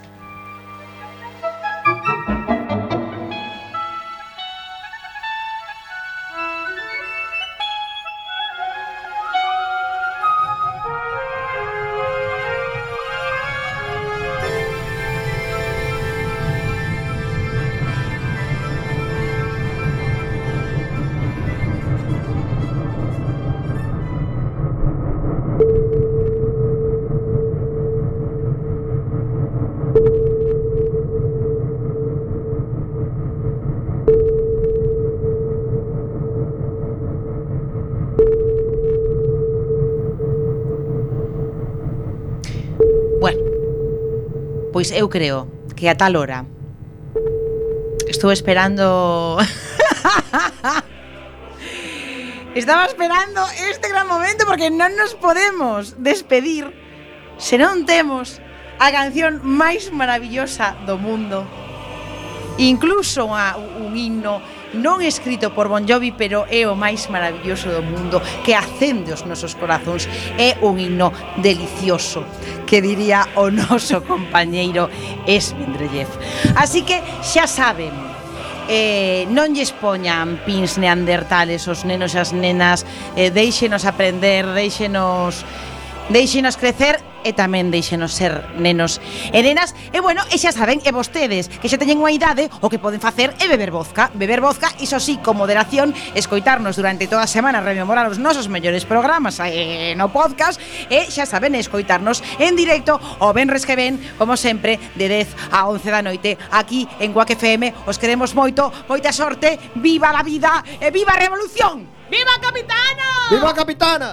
Pois eu creo que a tal hora estou esperando estaba esperando este gran momento porque non nos podemos despedir se non temos a canción máis maravillosa do mundo, incluso un himno non escrito por Bon Jovi, pero é o máis maravilloso do mundo, que acende os nosos corazóns. É un himno delicioso, que diría o noso compañeiro Esmendrellev. Así que xa saben, non lles poñan pins neandertales os nenos e as nenas, deixenos aprender, deixenos crecer e tamén deixenos ser nenos e nenas. E bueno, e xa saben, e vostedes que xa teñen unha idade, o que poden facer é beber vodka, iso sí, con moderación, escoitarnos durante toda a semana, rememorar os nosos mellores programas no podcast, e xa saben, escoitarnos en directo o venres que ven, como sempre, de 10 a 11 da noite, aquí en Quack FM. Os queremos moito, moita sorte, viva la vida e viva a revolución. ¡Viva Capitana! ¡Viva Capitana!